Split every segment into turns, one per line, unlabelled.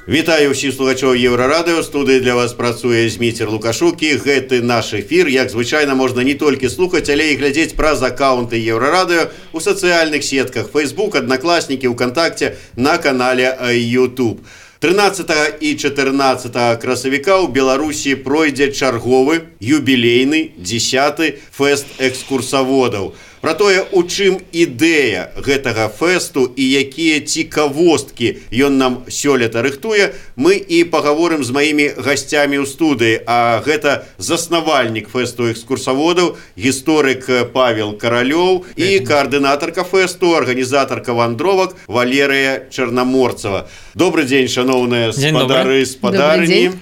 Вітаю ўсіх слухачоў Еўрарадыё. Студыі для вас працуе Зміцер Лукашук. І гэты наш эфір, як звычайна, можна не толькі слухаць, але і глядзець праз аккаунты Еўрарадыё у сацыяльных сетках Facebook, Аднакласнікі, ВКонтакте, на канале YouTube. 13 і 14 красавіка ў Беларусі пройдзе чарговы юбілейны 10-й фэст экскурсаводаў. Пра тое, у чым ідэя гэтага фэсту і якія цікавосткі ён нам сёлета рыхтуе, мы і пагаворым з маімі гасцямі ў студыі. А гэта заснавальнік фэсту экскурсаводаў, гісторык Павел Каралёў і каардынатарка фэсту, арганізатарка вандровак Валерыя Чарнаморцава. Добрый дзень, шановныя спадары, спадарні.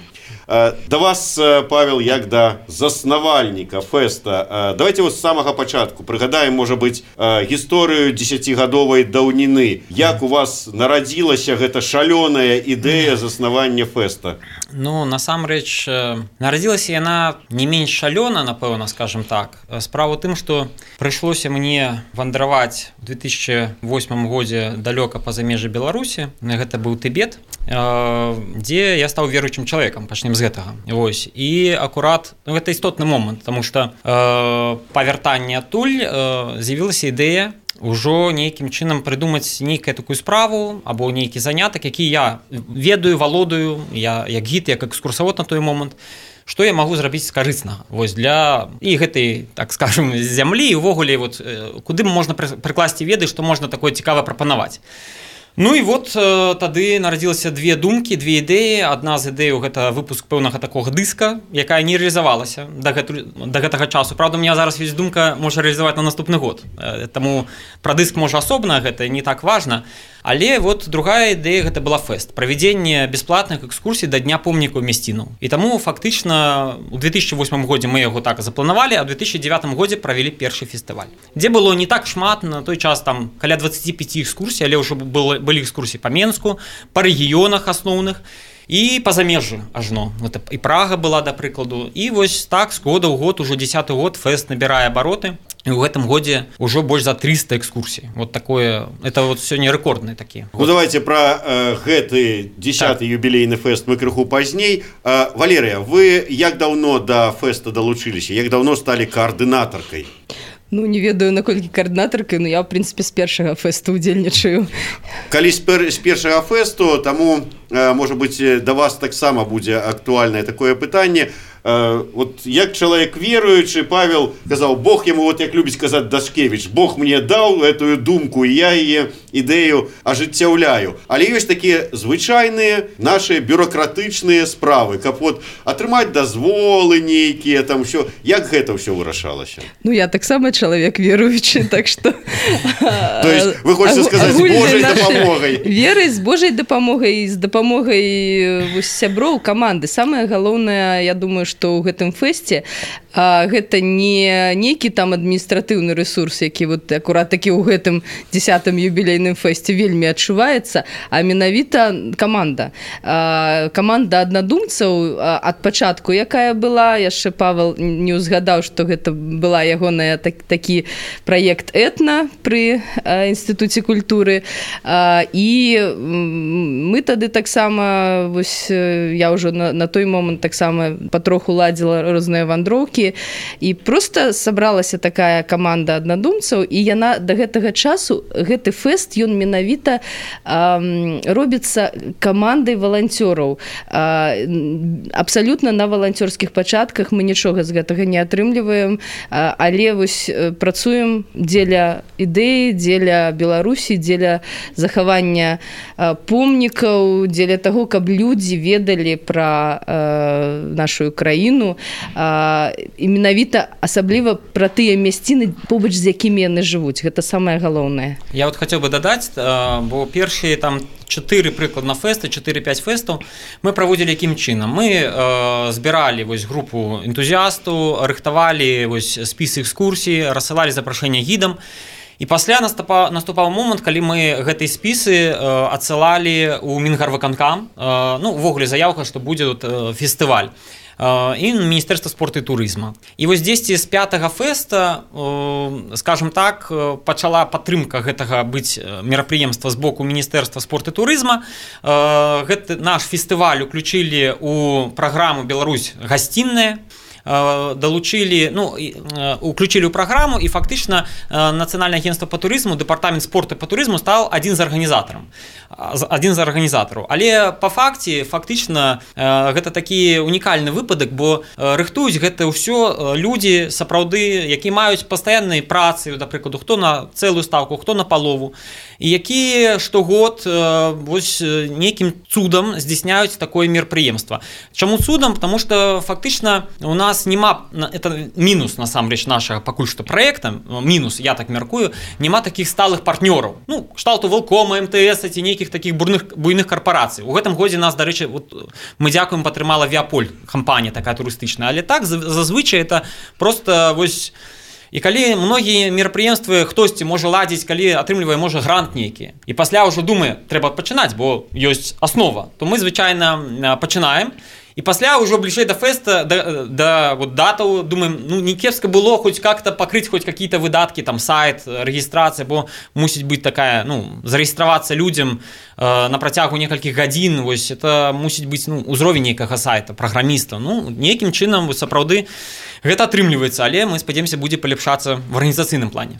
Да вас, Павел, як да заснавальніка фэста. Давайте вот з самага пачатку прыгадаем, можа быць, гісторыю 10-гадовай даўніны. Як у вас нарадзілася гэта шалёная ідэя заснавання фэста?
Ну, насамрэч, нарадзілася яна не менш шалёна, напэўна, скажем так. Справа ў тым, што прыйшлося мне вандраваць у 2008 годзе далёка па-за межы Беларусі. Гэта быў Тыбет, дзе я стаў веруючым чалавекам, пачнем з гэтага. Вось. І акурат, гэта істотны момант, таму што па вяртанні адтуль з'явілася ідэя ўжо нейкім чынам прыдумаць нейкую такую справу або нейкі занятак, які я ведаю, валодаю, я як гід, як экскурсавод на той момант, што я магу зрабіць карыснага. Вось для і гэтай, так скажем, зямлі і ўвогуле вот куды можна прыкласці веды, што можна такое цікава прапанаваць. Ну і вот тады нарадзілася две думкі, две ідэі. Адна з ідэяў гэта выпуск пэўнага такога дыска, якая не рэалізавалася да гэтага часу. Правда, у меня зараз ёсць думка можа рэалізаваць на наступны год. Таму пра дыск можа асобна, гэта не так важна. Але вот другая ідэя гэта была фэст, правядзенне бясплатных экскурсій да дня помнікаў мясцінаў. І таму фактычна у 2008 годзе мы яго так запланавалі, а ў 2009 годзе правялі першы фестываль. Дзе было не так шмат, на той час там каля 25 экскурсій, але ўжо былі экскурсіі па Менску, па рэгіёнах асноўных і па замежжы ажно. І Прага была, да прыкладу. І вось так з года ў год, ужо 10-й год фэст набірае абароты. І ў гэтым годзе ўжо больш за 300 экскурсій. Вот такое, это вот сёння рэкордныя такія.
Ну давайте пра гэты 10-й юбілейны фэст мы крыху пазней. Валерыя, вы як даўно да фэста далучыліся? Як даўно сталі каардынатаркай?
Ну, не ведаю, наколькі каардынатаркай, но я, в принципе, з першага фэсту удзельнічаю.
Калі з першага фэсту, таму, можа быць, да вас таксама будзе актуальнае такое пытанне. Вот як чалавек веруючы, Павел казаў, Бог яму, вот як любіць казаць Дашкевіч, Бог мне даў эту думку, і я яе ідэю ажыццяўляю. Але ёсць такія звычайныя нашы бюрократычныя справы, каб вот атрымаць дазволы нейкія, там ўсё. Як гэта ўсё вырашалася?
Ну, я таксама чалавек веруючы, так што...
То есть вы хочаце сказаць, з Божай дапамогай?
Верай, з Божай дапамогай, з дапамогай сяброў, каманды. Самае галоўнае, я думаю, што ў гэтым фэсце гэта не нейкі там адміністратыўны рэсурс, які вот акурат такі ў гэтым 10-м юбілейным фэсце вельмі адчуваецца, а менавіта каманда. Каманда аднадумцаў ад пачатку, якая была, яшчэ Павел не ўзгадаў, што гэта была ягоная такі праект «Этна» пры Інстытуце культуры. І мы тады таксама, вось я ўжо на той момант таксама патроху ладзіла розныя вандроўкі, і проста сабралася такая каманда аднадумцаў, і яна да гэтага часу, гэты фэст, ён менавіта робіцца камандай валанцёраў. Абсалютна на валанцёрскіх пачатках, мы нічога з гэтага не атрымліваем, але вось працуем дзеля ідэі, дзеля Беларусі, дзеля захавання помнікаў, дзеля таго, каб людзі ведалі пра нашу краіну, і менавіта асабліва пра тыя мясціны, побач з якімі яны жывуць. Гэта самае галоўнае.
Я вот хацеў бы дадаць, бо першыя там 4 прыкладна фэсты, 4-5 фэстаў мы праводзілі якім чынам. Мы збіралі вось групу энтузіастаў, рыхтавалі вось спіс экскурсій, рассылалі запрашэнне гідам. І пасля наступаў момант, калі мы гэтыя спісы адсылалі ў Мінгарвыканкам, ну, увогуле заяўка, што будзе фестываль, і Міністэрства спорту і турызма. І вось дзесьці з 5-го фэста, скажем так, пачала падтрымка гэтага быць мерапрыемства з боку Міністэрства спорту і турызма. Гэты наш фестываль уключылі ў праграму «Беларусь гасцінная», долучили, ну, уключили ў праграму, і фактычна Нацыянальнае агентства па турызму, дэпартамент спорту па турызму стаў адзін з арганізатараў. Але па факце фактычна гэта такі унікальны выпадак, бо рыхтуюць гэта ўсё людзі сапраўды, якія маюць пастаянныя працы, да прыкладу, хто на цэлую стаўку, хто на палову, і якія штогод вось нейкім цудам здзяйсняюць такое мерапрыемства. Чаму цудам? Потому что фактычна у нас нема, это мінус насамрэч нашага пакуль што праекта, мінус, я так мяркую, нема такіх сталых партнёраў, ну, кшталту Волкома, МТС ці нейкіх такіх буйных карпорацый. У гэтым годзе нас, дарэчы, вот, мы дзякуем, падтрымала Віаполь, кампанія такая турыстычная, але так зазвычай это просто вось. І калі многія мерапрыемствы хтосьці можа ладзіць, калі атрымлівае можа грант нейкі, і пасля ўжо думае, трэба пачынаць, бо ёсць аснова, то мы звычайна пачынаем. І пасля ўжо бліжэй да фэста, да вот, датаў, думаем, ну, не кепска было хоць как-то пакрыць хоць какие-то выдаткі, там, сайт, рэгістрацыя, бо мусіць быць такая, ну, зарэгістравацца людзям на працягу некалькіх гадзін, вось, это мусіць быць, ну, узровень нейкага сайта, праграміста, ну, нейкім чынам, сапраўды, гэта атрымліваецца, але мы спадзяемся, будзе паляпшацца в арганізацыйным плане.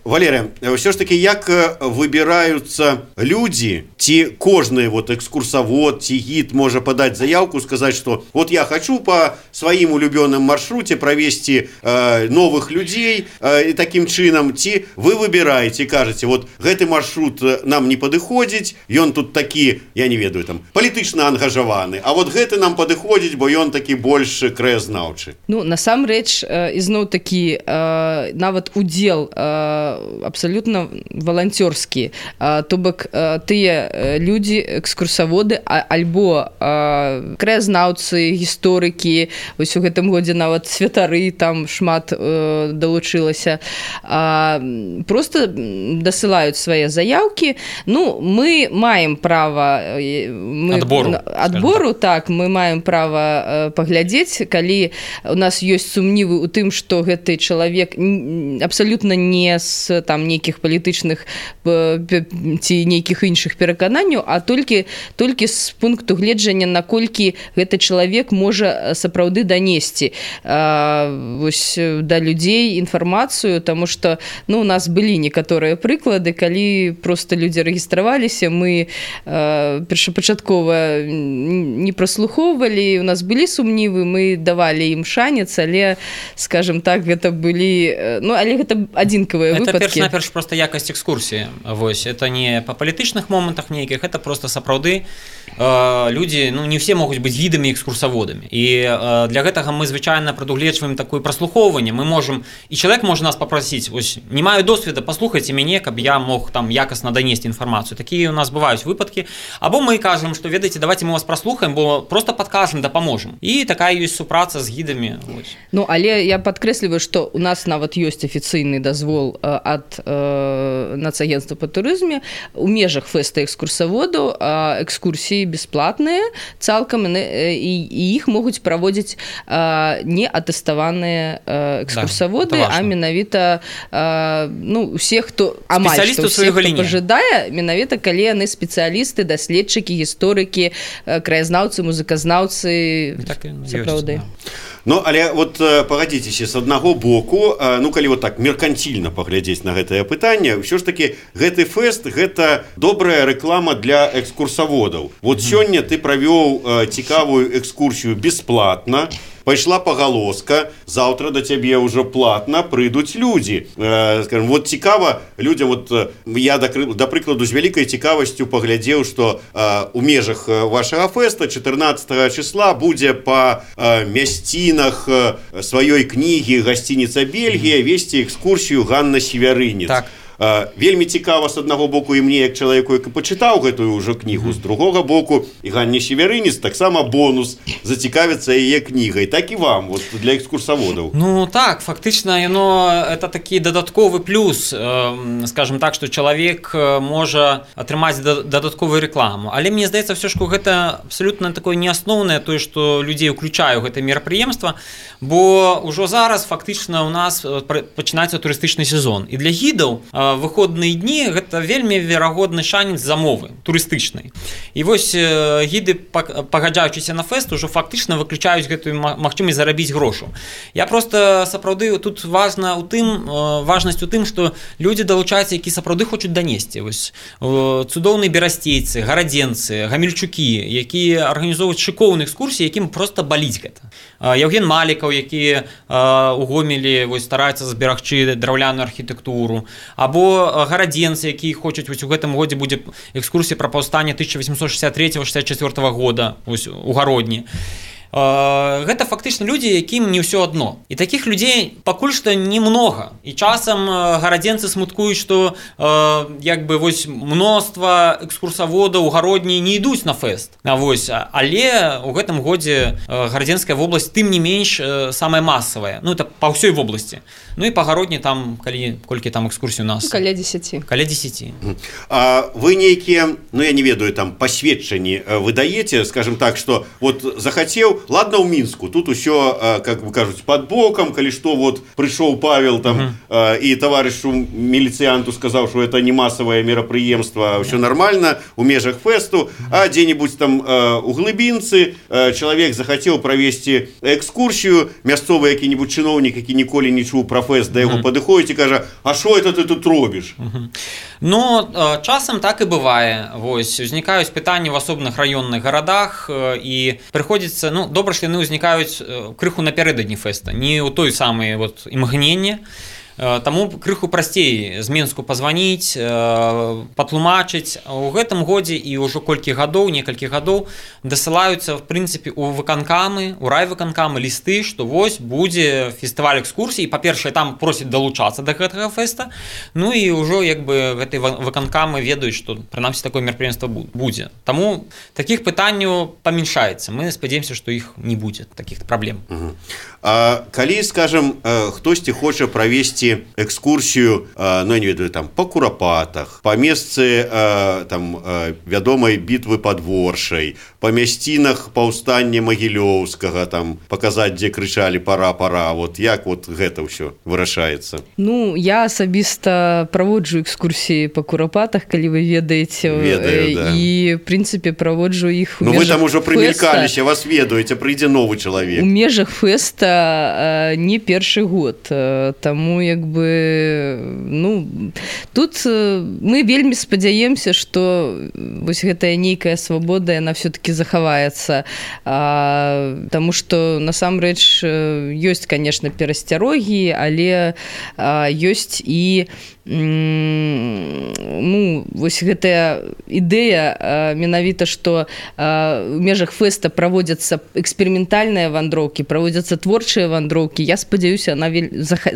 Валерия, ўсё ж таки, як выбіраюцца людзі, ці кожны вот экскурсавод, ці гід можа падаць заявку, сказать, что вот я хочу по своим улюбленным маршруте провести новых людей, и таким чином ці вы выбираете, кажете, вот гэты маршрут нам не падыходзіць, ён тут такі, я не ведаю, там, палітычна ангажаваны, а вот гэты нам падыходзіць, бо ён такі больш краязнаўчы.
Ну, насамрэч, ізноў такі, нават удзел абсалютна валанцёрскі, то бок тыя людзі, экскурсаводы, альбо краязнаўцы, гісторыкі, вось у гэтым годзе нават святары там шмат далучылася, просто дасылаюць свае заяўкі. Ну, мы маем права адбору, так, мы маем права паглядзець, калі у нас ёсць сумнівы ў тым, што гэты чалавек абсалютна не з там нейкіх палітычных ці нейкіх іншых перакананняў, а толькі з пункту гледжання, наколькі гэты чалавек можа сапраўды данесці вось да людзей інфармацыю, таму што, ну, у нас былі некаторыя прыклады, калі просто людзі рэгістраваліся, мы першапачаткова не праслухоўвалі, у нас былі сумнівы, мы давалі ім шанец, але, скажем так, гэта былі, ну, але гэта адзінкавыя выпадкі.
Это перш-наперш просто якасць экскурсіі, вось, это не па палітычных момантах нейкіх, это просто сапраўды людзі, ну, не все могуць быць гідамі, экскурсаводамі. І для гэтага мы звычайна прадугледжваем такое праслухоўванне. Мы можам, і чалавек можа нас папрасіць, вось, не маю досведа, паслухайце мяне, каб я мог там якасна данесці інфармацыю. Такія у нас бываюць выпадкі. Або мы кажам, што ведаеце, давайте мы вас праслухаем, бо просто падкажам, дапаможам. І такая ёсць супраца з гідамі. Вось.
Ну, але я падкрэсліваю, што у нас нават ёсць афіцыйны дазвол ад Нацагентства па турызме у межах фэста экскурсаводаў, экскурсіі бясплатныя цалкам, і іх могуць праводзіць не атэставаныя экскурсаводы, а менавіта, ну, усе, хто амаль што ўсе, хто пажадае, менавіта калі яны спецыялісты, даследчыкі, гісторыкі, краязнаўцы, музыказнаўцы, сапраўды.
Ну, але вот пагадзіцеся, з аднаго боку, ну, калі вот так меркантильна паглядзець на гэтае пытанне, ўсё ж таки гэты фэст, гэта добрая рэклама для экскурсаводаў. Вот сёння ты правёў цікавую экскурсію бесплатна, пайшла пагалоска, заўтра да цябе ўжо платна прыйдуць людзі. Скажем, вот цікава людзям, вот я, да прыкладу, з вялікай цікавасцю паглядзеў, што у межах вашага фэста 14 числа будзе па мясцінах сваёй кнігі «Гасцініца Бельгія» весці экскурсію Ганна Севярынец.
Так.
Вельмі цікава з аднаго боку і мне як чалавеку, які пачытаў гэтую ўжо кнігу, з другога боку і Ганне Северыніс таксама бонус зацікавіцца яе кнігай, так і вам вот, для экскурсаводаў.
Ну так, фактычна это такі дадатковы плюс, скажем так, што чалавек можа атрымаць дадатковую рекламу, але мне здаецца все ж гэта абсолютно такое неасноўнае тое, што людзей уключаю гэта мерапрыемства, бо ўжо зараз фактычна у нас пачынаецца турыстычны сезон, і для гідаў выходныя дні гэта вельмі верагодны шанец замовы турыстычнай. І вось гіды, пагаджаючыся на фэст, ужо фактычна выключаюць гэтую магчымасць зарабіць грошу. Я просто сапраўды тут важнасць у тым, што людзі далучаюцца, які сапраўды хочуць данесці. Вось цудоўныя берасцейцы, гарадзенцы, гамельчукі, якія арганізоўваюць шыкоўныя экскурсіі, якім просто баліць гэта. Яўген Малікаў, які у Гомелі стараецца зберагчы драўляную архітэктуру, або гарадзенцы, якія хочуць, вось у гэтым годзе будзе экскурсія пра паўстанне 1863-64 года у Гародні. Гэта фактычна людзі, якім не ўсё адно. І такіх людзей пакуль што немнога. І часам гарадзенцы смуткуюць, што мноства экскурсаводаў у Гародні не ідуць на фэст. Але ў гэтым годзе гарадзенская вобласць тым не менш самая масавая. Это па ўсёй вобласці. І па Гародні там, колькі там экскурсій у нас?
Каля 10.
Каля 10.
А вы нейкія, я не ведаю, там пасведчанні выдаеце, скажем так, што вот захацеў, ладно, ў Мінску, тут усё, как бы кажуць, под боком, калі што, вот прыйшоў Павел там і таварышу міліцыянту сказаў, што это не масавае мерапрыемства, ўсё нормально у межах фэсту, а дзе-небудзь там у Глыбінцы чалавек захацеў правесці экскурсію, мясцовы які-небудзь чыноўнік, які ніколі не чуў пра фэст, да яго падыходзіць і кажа: а што это ты тут робіш?
Часам так і бывае. Узнікаюць пытанні ў асобных раённых гарадах, і прыходзіцца, добра, што яны ўзнікаюць крыху напярэдадні фэста, не ў той самай імгненне. Таму крыху прасцей з Мінску пазваніць, патлумачыць. У гэтым годзе і ўжо некалькі гадоў дасылаюцца, в прынцыпе, у выканкамы, у райвыканкамы лісты, што вось будзе фестываль экскурсій. Па-першае, там просяць далучацца да гэтага фэста. І ўжо гэтыя выканкамы ведаюць, што прынамсі такое мерапрыемства будзе. Таму такіх пытанняў памяншаецца. Мы спадзяемся, што іх не будзе, такіх праблем.
А калі, скажем, хтосьці хоча правесці экскурсію, я не ведаю, там, па Курапатах, па месцы вядомай бітвы пад Воршай, па мясцінах паўстання Магілёўскага, там, паказаць, дзе крычалі «пара, пара», як гэта ўсё вырашаецца?
Я асабіста праводжу экскурсіі па Курапатах, калі вы ведаеце.
Ведаю,
і, в прынцыпе, праводжу іх у межах фэста.
Вы там ужо прымелькаліся, вас ведаеце, прыйдзе новы чалавек.
У межах фэста не першы год, таму тут мы вельмі спадзяемся, што вось гэтая нейкая свабода, яна все-таки захаваецца, таму што насамрэч ёсць, конечно, перасцярогі, але ёсць і вось гэтая ідэя менавіта, што у межах фэста праводзяцца эксперыментальныя вандроўкі, праводзяцца творчыя вандроўкі. Я спадзяюся, она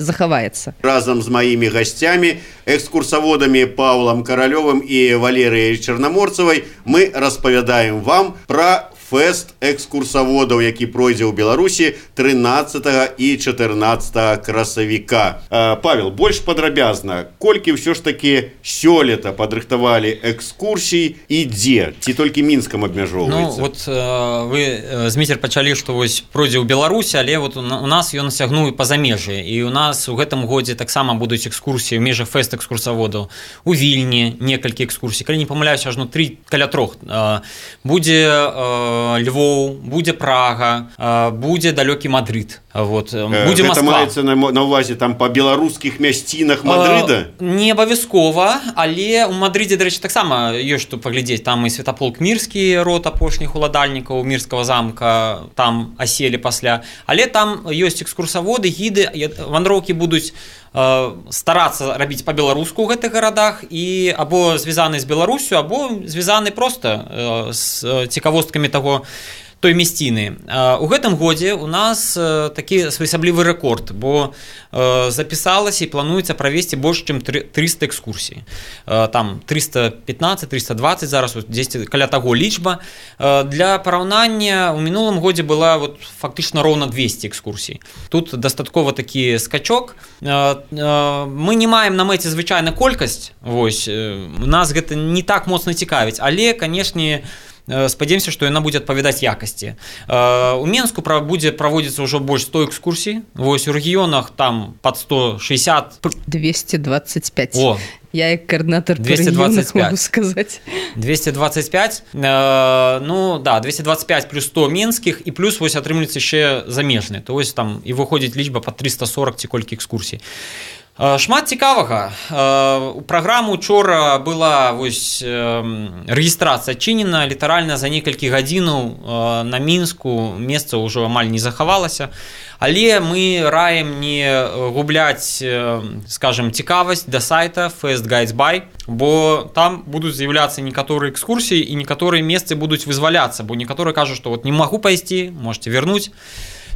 захаваецца.
Разам з маімі гасцямі, экскурсаводамі Паўлам Каралёвым і Валерыяй Чарнаморцавай, мы распавядаем вам пра фэст экскурсаводаў, які пройдзе ў Беларусі 13 і 14 красавіка. Павел, больш падрабязна, колькі ўсё ж такі сёлета падрыхтавалі экскурсій і дзе? Ці толькі Мінскам абмяжоўваецца?
Вы, Зміцер, пачалі, што вось пройдзе ў Беларусі, але у нас ён сягнуў па замежжы. І у нас у гэтым годзе таксама будуць экскурсіі ў межах фэст экскурсаводаў. У Вільні некалькі экскурсій. Калі не памыляюся, ажно 3 каля 3. Будзе Львоў, будзе Прага, будзе далёкі Мадрыд. Будзе Москва.
Гэта маецца на ўвазе там па беларускіх мясцінах Мадрыда?
Не абавязкова, але ў Мадрыдзе, дарэчы, таксама ёсць што паглядзець. Там і Святаполк Мірскі, род апошніх уладальнікаў Мірскага замка, там аселі пасля. Але там ёсць экскурсаводы, гіды, вандроўкі будуць старацца рабіць па-беларуску ў гэтых гарадах і або звязаны з Беларусю, або звязаны проста з цікавосткамі таго той мясціны. У гэтым годзе у нас такі своеасаблівы рэкорд, бо запісалася і плануецца правесці больш чым 300 экскурсій. Там 315-320 зараз, дзесьці каля таго лічба. Для параўнання у мінулым годзе была фактычна роўна 200 экскурсій. Тут дастаткова такі скачок. Мы не маем на мэце звычайна колькасць, нас гэта не так моцна цікавіць, але, канешне, спадзяемся, што яна будзе адпавядаць якасці. У Менску будзе праводзіцца ўжо больш 100 экскурсій. У рэгіёнах там пад 160.
225. Я як координатор по регионах могу сказать.
225. Ну, да, 225 плюс 100 менскіх, і плюс атрымліваецца яшчэ замежныя. То там і выходзіць лічба па 340 ці колькі экскурсій. Шмат цікавага. У праграму учора была рэгістрацыя адчынена, літаральна за некалькі гадзінаў на Мінску месца ўжо амаль не захавалася. Але мы раім не губляць, скажем, цікавасць да сайта Fest Guides By, бо там будуць з'яўляцца некаторыя экскурсіі і некаторыя месцы будуць вызваляцца, бо некаторыя кажуць, што не магу пайсці, можете вернуць.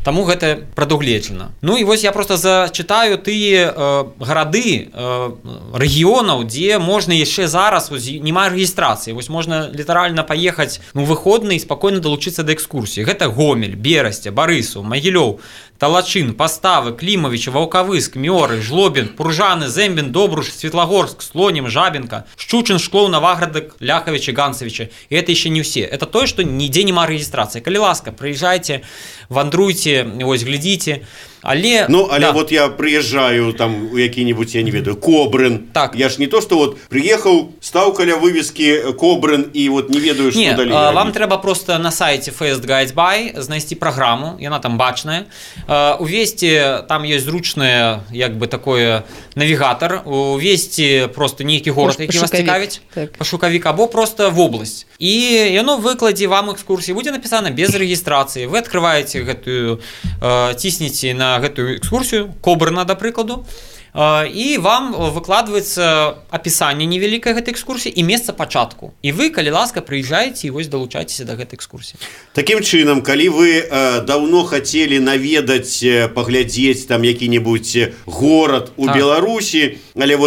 Таму гэта прадугледжана. Ну і я просто зачытаю тыя гарады рэгіёнаў, дзе можна яшчэ зараз няма рэгістрацыі. Можна літаральна паехаць у выходны і спакойна далучыцца да экскурсіі. Гэта Гомель, Берасце, Барысаў, Магілёў, Талачын, Паставы, Клімавіч, Ваўкавыск, Мёры, Жлобін, Пуржаны, Зэмбін, Добруш, Светлагорск, Слонім, Жабінка, Шчучин, Шклоў, Наваградак, Ляхавічы, Ганцавічы. І гэта яшчэ не ўсе. Это тое, што нідзе няма рэгістрацыі. Калі ласка, прыязджайце, вандруйце, глядзіце. Але
я прыязджаю там у які-нибудь, я не ведаю, Кобрын.
Так.
Я ж не то, што прыехаў, стаў каля вывескі Кобрын і не ведаю, што далей.
Вам трэба просто на сайце Fest Guides By знайсці праграму, яна там бачная. Увесці, там ёсць зручны, такой навігатар, увесці просто нейкі горад, які вас цікавіць, пашукавік, або просто вобласць. І яно выкладзе вам экскурсіі, будзе напісана без рэгістрацыі. Вы адкрываеце гэтую, ціснеце на гэтую экскурсію, Кобрына, да прыкладу, і вам выкладваецца апісанне невялікае гэтай экскурсіі і месца пачатку. І вы, калі ласка, прыязджаеце і далучайцеся да гэтай экскурсіі.
Такім чынам, калі вы даўно хацелі наведаць, паглядзець там які-нибудь горад у Беларусі, але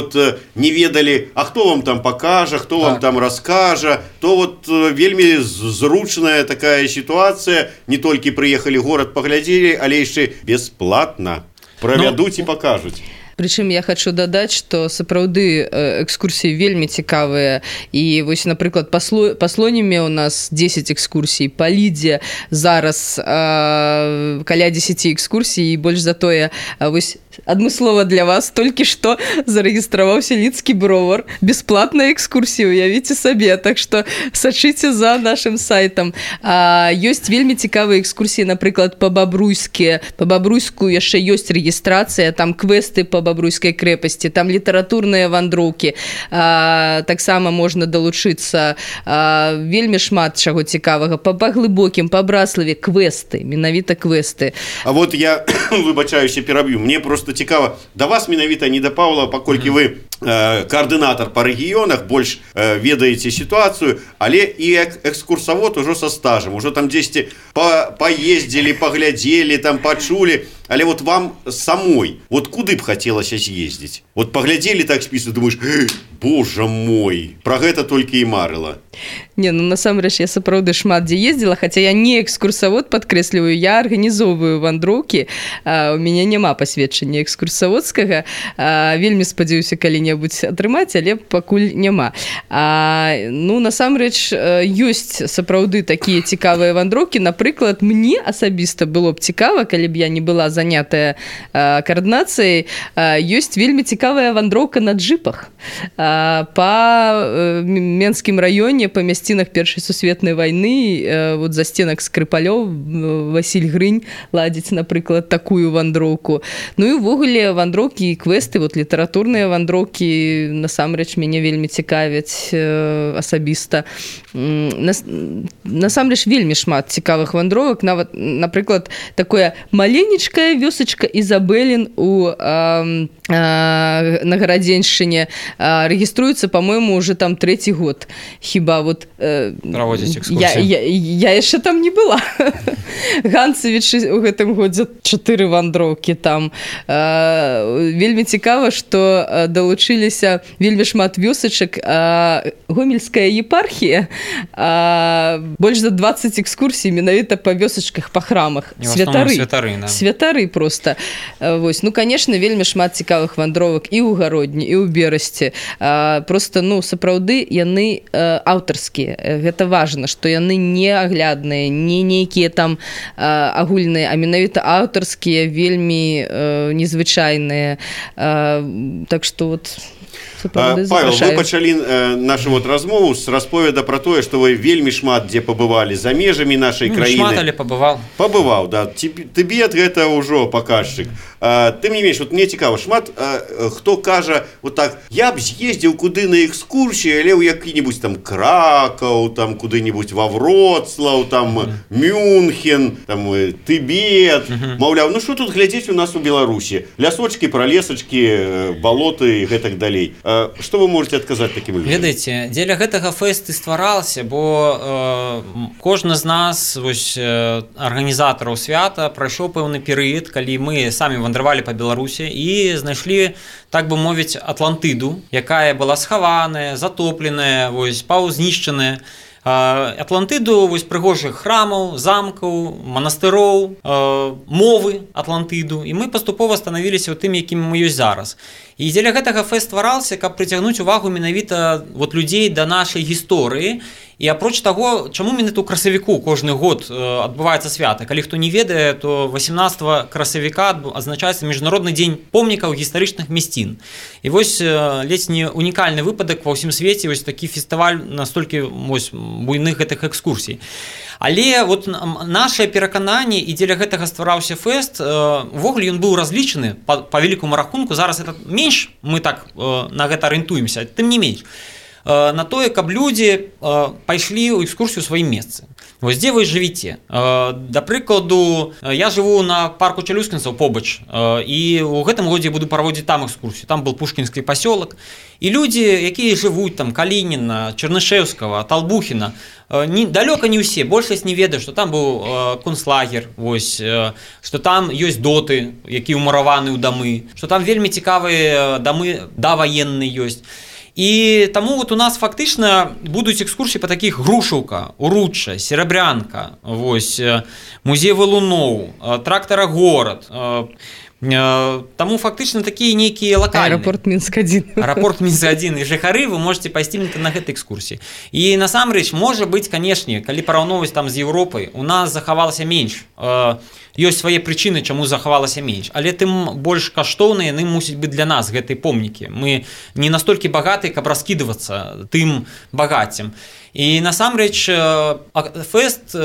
не ведалі, а хто вам там пакажа, хто вам там раскажа, то вельмі зручная такая сітуацыя. Не толькі прыехалі горад, паглядзелі, але яшчэ бясплатна правядуць і пакажуць.
Прычым я хочу дадаць, што сапраўды экскурсіі вельмі цікавыя. І напрыклад, па Слоніме у нас 10 экскурсій, па Лідзе зараз каля 10 экскурсій, і больш за тое, адмыслова для вас толькі што зарэгістраваўся лідскі бровар. Бясплатная экскурсія, уявіце сабе. Так што сачыце за нашым сайтам. Ёсць вельмі цікавыя экскурсіі, напрыклад, па Бабруйску яшчэ ёсць рэгістрацыя, там квесты па Бабруйскай крэпасці, там літаратурныя вандроўкі. Таксама можна далучыцца. Вельмі шмат чаго цікавага. Па Глыбокім, па Браславе квесты, менавіта квесты.
А я выбачаюся, пераб'ю. Мне просто цікава, да вас менавіта, не да Паўла, паколькі вы координатор по регионах, больше ведаете ситуацию, але и экскурсовод уже со стажем, уже там 10 поездили, поглядели, там почули, але вам самой, куды б хотелось съездить? Поглядели так список, думаешь, боже мой, про гэта только и марыла.
Не, насамрэч я сапраўды шмат дзе ездзіла, хаця я не экскурсавод, падкрэсліваю, я арганізоўваю вандроўкі, у мяне няма пасведчання экскурсаводскага, вельмі спадзяюся калі-небудзь атрымаць, але пакуль няма. Насамрэч ёсць сапраўды такія цікавыя вандроўкі, напрыклад, мне асабіста было б цікава, калі б я не была занятая координацией, ёсць вельмі цікавая вандроўка на джипах па Менскім раёне, па мясцінах Першай сусветнай вайны, за стенак Скрыпалёў Васіль Грынь ладзіць, напрыклад, такую вандроўку. І ўвогуле вандроўкі і квесты, літаратурныя вандроўкі насамрэч мяне вельмі цікавяць асабіста. Насамрэч вельмі шмат цікавых вандровак, нават, напрыклад, такое маленечкая вёсачка Ізабелін у на Гарадзеншчыне рэгіструецца, па-мойму, уже там 3-й год. Хіба
праводзіць экскурсіі.
Я яшчэ там не была. Ганцевіч у гэтым годзе 4 вандроўкі там. Вельмі цікава, што далучыліся вельмі шмат вёсачак. Гомельская епархія, больш за 20 экскурсій менавіта па вёсачках, па храмах. Святары просто. Вось. Ну, конечно, вельмі шмат цікавых вандровак і ў Гародні, і ў Берасці. Просто, ну, сапраўды, яны аўтарскія. Гэта важна, што яны не аглядныя, не нейкія там агульныя, а менавіта аўтарскія, вельмі незвычайныя. Так што вот...
Павел, вы пачалі нашу вот размову з расповеда пра тое, што вы вельмі шмат дзе пабывалі за межамі нашай краіны.
Шмат, але пабываў.
Пабываў, да. Тыбет гэта ўжо паказчык. Тым не менш, вот мне цікава, шмат хто кажа вот так: я б з'ездзіў куды на экскурсію, але ў які-небудзь там Кракаў, там куды-небудзь ва Вроцлаў, там Мюнхен, там Тыбет. Маўляў, ну што тут глядзець у нас у Беларусі? Лясочкі, пралесачкі, балоты і гэтак далей. Што вы можете адказаць такім людзям?
Ведаеце, дзеля гэтага фэст і стварался, бо кожны з нас, вось, арганізатараў свята, прайшоў пэўны перыяд, калі мы самі вандравалі па Беларусі і знайшлі, так бы мовіць, Атлантыду, якая была схаваная, затопленая, вось, паўзнішчаная. Атлантыду, вось, прыгожых храмаў, замкаў, манастыроў, мовы Атлантыду, і мы паступова станавіліся тымі, якімі мы ёсць зараз. І дзеля гэтага фэст ствараўся, каб прыцягнуць увагу менавіта вот людзей да нашай гісторыі. І апроч таго, чаму менавіта ў красавіку кожны год адбываецца свята? Калі хто не ведае, то 18 красавіка адзначаецца міжнародны дзень помнікаў гістарычных мясцін. І вось ледзь не унікальны выпадак ва ўсім свеце, вось такі фестываль настолькі вось буйных гэтых экскурсій. Але вот наше перакананне, і дзеля гэтага ствараўся фэст, увогуле ён быў разлічаны па великому рахунку, зараз это менш, мы так на гэта арыентуемся, тым не менш, на тое, каб людзі пайшлі ў экскурсію ў сваім месцы. Вось дзе вы жывіце? Да прыкладу, я жыву на парку Чалюскінцаў побач, і ў гэтым годзе буду праводзіць там экскурсію. Там был Пушкінскі пасёлак. І людзі, якія жывуць там Калініна, Чарнышэўскага, Талбухіна, далёка не ўсе, большасць не ведае, што там быў концлагер, вось, што там ёсць доты, якія ўмураваны ў дамы, што там вельмі цікавыя дамы даваенныя ёсць. І таму вот у нас фактычна будуць экскурсіі па такіх Грушаўка, Уручча, Серабрянка, вось, музей валуноў, трактарагорад. Таму фактычна такія нейкія лакальныя.
Аэропорт Мінск-1.
Аэропорт Мінск-1. І жыхары вы можете пайсці на гэтай экскурсіі. І насамрэч, можа быць, канешне, калі параўноўваць там з Еўропай, у нас захавалася менш. Ёсць свае прычыны, чаму захавалася менш. Але тым больш каштоўныя яны мусяць быць для нас, гэтыя помнікі. Мы не настолькі багатыя, каб раскідвацца тым багаццем. І насамрэч фэст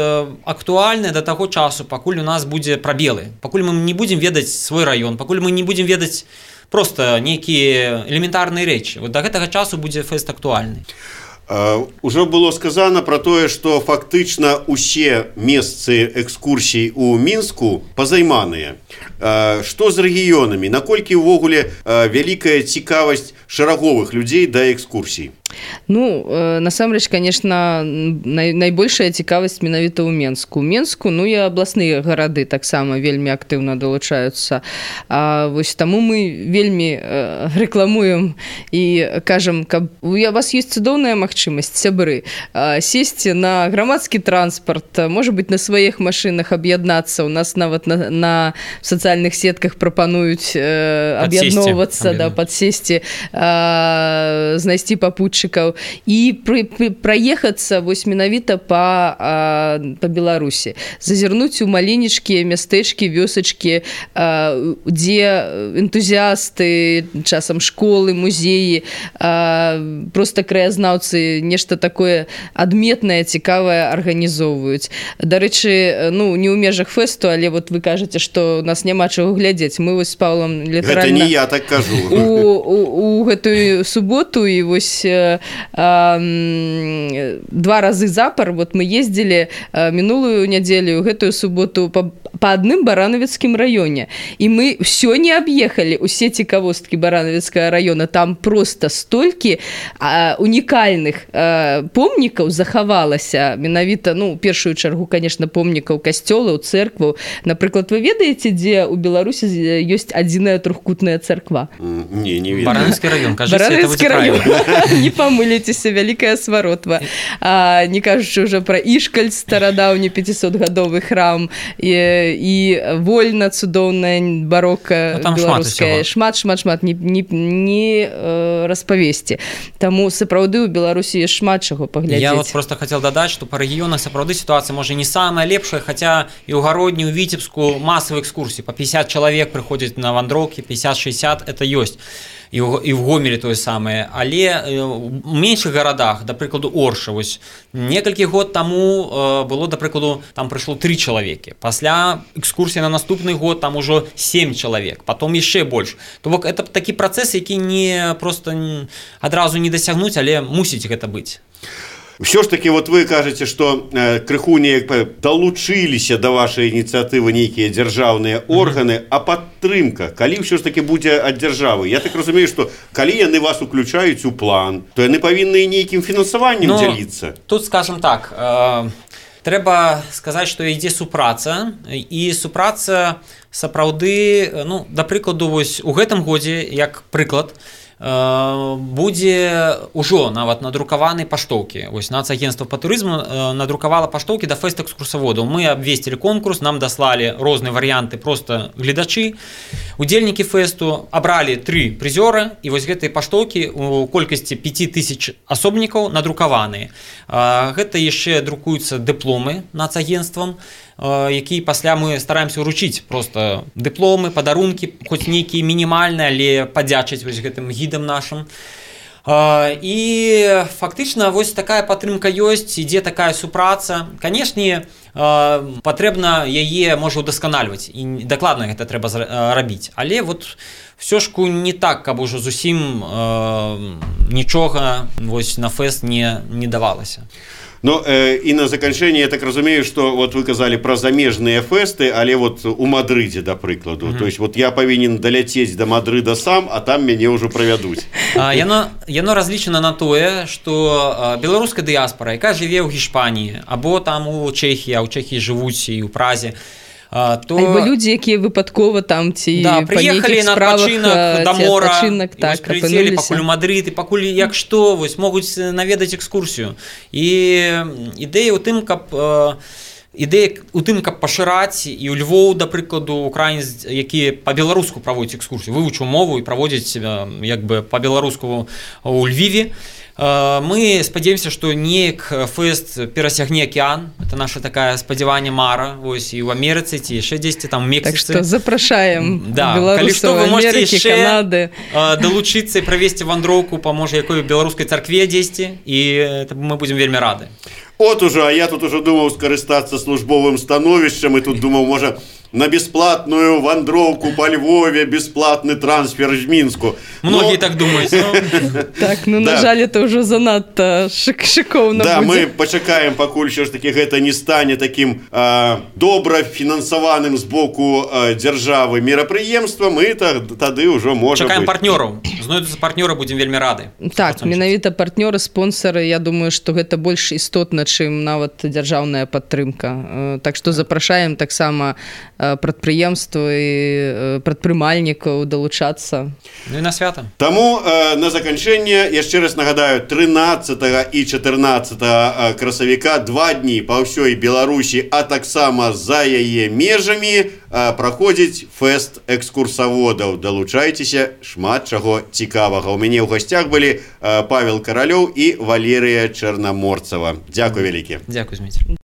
актуальны да таго часу, пакуль у нас будзе прабелы, пакуль мы не будзем ведаць свой раён, пакуль мы не будзем ведаць проста нейкія элементарныя рэчы. Вот да гэтага часу будзе фэст актуальны.
Ужо было сказано про тое, што фактычна усе месцы экскурсій у Мінску пазайманыя. Што з рэгіёнамі? Наколькі ўвогуле вялікая цікавасць шараговых людзей да экскурсій?
Ну, насамрэч, конечно, найбольшая цікавасць менавіта ў Менску. У Менску, ну, і абласныя гарады таксама вельмі актыўна далучаюцца. Вось таму мы вельмі рэкламуем і кажам, каб у вас ёсць цудоўная магчымасць, сябры, сесці на грамадскі транспарт, можа быць, на сваіх машынах аб'яднацца. У нас нават на сацыяльных сетках прапануюць аб'ядноўвацца, падсесці, знайсці папутчыкаў і праехацца вось менавіта па Беларусі, зазірнуць у маленечкія мястэчкі, вёсачкі, дзе энтузіасты, часам школы, музеі, проста краязнаўцы нешта такое адметнае, цікавае арганізоўваюць. Дарэчы, ну, не ў межах фэсту, але вот вы кажаце, што у нас няма чаго глядзець. Мы вось з Павлом літаральна...
Гэта не я так кажу.
У гэтую суботу і вось 2 разы запар, вот мы ездзілі мінулую нядзелю, гэтую суботу па по одним Барановецким районе. И мы все не объехали, усе цікавосткі Барановецкага района. Там просто столькі унікальных помнікаў захавалася. Менавіта, ну, у першую чаргу, конечно, помнікаў касцёлаў, церкваў. Напрыклад, вы ведаеце, дзе ў Беларусі ёсць адзіная трохкутная церква?
Не ведаю.
Барановецкі район, кажыце,
Барановецкі район. Не памыліцеся, вялікая сваротва. Не кажучы ўжо пра Ішкаль, старадаўні 500-гадовы храм, і Вольна, цудоўная барока беларуская. Шмат, не распавесці. Таму сапраўды ў Беларусі ёсць шмат чаго паглядзець.
Я вот просто хотел дадаць, што па рэгіёнах сапраўды сітуацыя можа не самая лепшая, хаця і ў Гародні, ў Віцебску масавыя экскурсіі. Па 50 чалавек прыходзяць на вандроўкі, 50-60 это ёсць. І в Гомелі тое самае, але у меншых гарадах, да прыкладу Орша, вось некалькі год таму было, да прыкладу, там прыйшло 3 чалавекі. Пасля экскурсіі на наступны год там ужо 7 чалавек, потом яшчэ больш. То бок это такі працэс, які не просто адразу не дасягнуць, але мусіць гэта быць.
Все ж таки, вот вы кажете, что крыху неяк долучиліся до вашей инициативы некие державные органы, а падтрымка, калі все ж таки будзе ад дзяржавы? Я так разумею, что калі яны вас уключаюць у план, то яны павінны нейкім фінансаваннем дзяліцца.
Тут, скажем так, трэба сказаць, што ідзе супраца, і супраца сапраўды, ну, да прыкладу, вось у гэтым годзе, як прыклад, будзе ўжо нават надрукаваны паштоўкі. Вось Нацагентства па турызму надрукавала паштоўкі да фэст экскурсаводаў. Мы абвесцілі конкурс, нам даслалі розныя варыянты проста гледачы. Удзельнікі фэсту абралі 3 прызёры, і вось гэтыя паштоўкі у колькасці 5000 асобнікаў надрукаваныя. Гэта яшчэ друкуюцца дыпломы Нацагентствам, які пасля мы стараемся ўручыць просто дыпломы, падарункі, хоць нейкія мінімальныя, але падзячыць вось гэтым гідам нашым. І фактычна вось такая падтрымка ёсць, ідзе такая супраца. Канешне, патрэбна яе можа ўдасканальваць, і дакладна гэта трэба рабіць. Але вот всё ж не так, каб ужо зусім нічога вось на фэст не давалася.
Ну, и на заканчэнне, я так разумею, что вот вы казалі пра замежныя фэсты, але вот у Мадрыдзе, да прыкладу. То есть вот я павінен даляцець до Мадрыда сам, а там мяне ўжо правядуць.
Яно разлічана на тое, што беларуская дыяспара, якая жыве ў Гішпаніі, або там у Чэхіі, а ў Чэхіі жывуць і ў Празе, то...
Альбо людзі, якія выпадкова там ці
прыехалі на адпачынак да мора,
так,
прылецелі пакуль у Мадрыд, і пакуль як што, вось могуць наведаць экскурсію. І ідэя ў тым, каб пашыраць і ў Львоў, да прыкладу, украінец, які па-беларуску праводзяць экскурсію, вывучыў мову і праводзяць як бы па-беларуску ў Львіве. Мы спадзяемся, што неяк фэст перасягне акеан. Это наша такая спадзяванне мара, вось і ў Амерыцы ці яшчэ дзесьці там у Мексіцы.
Так што запрашаем
беларусаў
Амерыкі, Канады
далучыцца і правесці вандроўку па можа якой беларускай царкве дзесьці, і мы будзем вельмі рады.
От уже, а я тут уже думаў скарыстацца службовым становішчам, і тут думаў, можа, на бесплатную вандроўку по Львове, бесплатный трансфер в Мінску.
Многие так думают.
Так, ну, на жаль, это уже занадто шикоўна будзе.
Да, мы пачакаем, пакуль все ж таки гэта не стане таким добра фінансаваным з боку дзяржавы мерапрыемствам, і тады ўжо можа
чакаем партнёраў. Знойдуцца партнёры, будзем вельмі рады.
Так, менавіта партнёры, спонсары, я думаю, што гэта больш істотна, чым нават дзяржаўная падтрымка. Так што запрашаем таксама прадпрыемствы і прадпрымальнікаў далучацца.
Ну і на свята.
Таму на заканчэнне яшчэ раз нагадаю, 13 і 14 красавіка 2 дні па ўсёй Беларусі, а таксама за яе межамі праходзіць фэст экскурсаводаў. Далучайцеся, шмат чаго цікавага. У мяне ў гасцях былі Павел Каралёў і Валерыя Чарнаморцава. Дзякуй вялікі.
Дзякуй, Зміцер.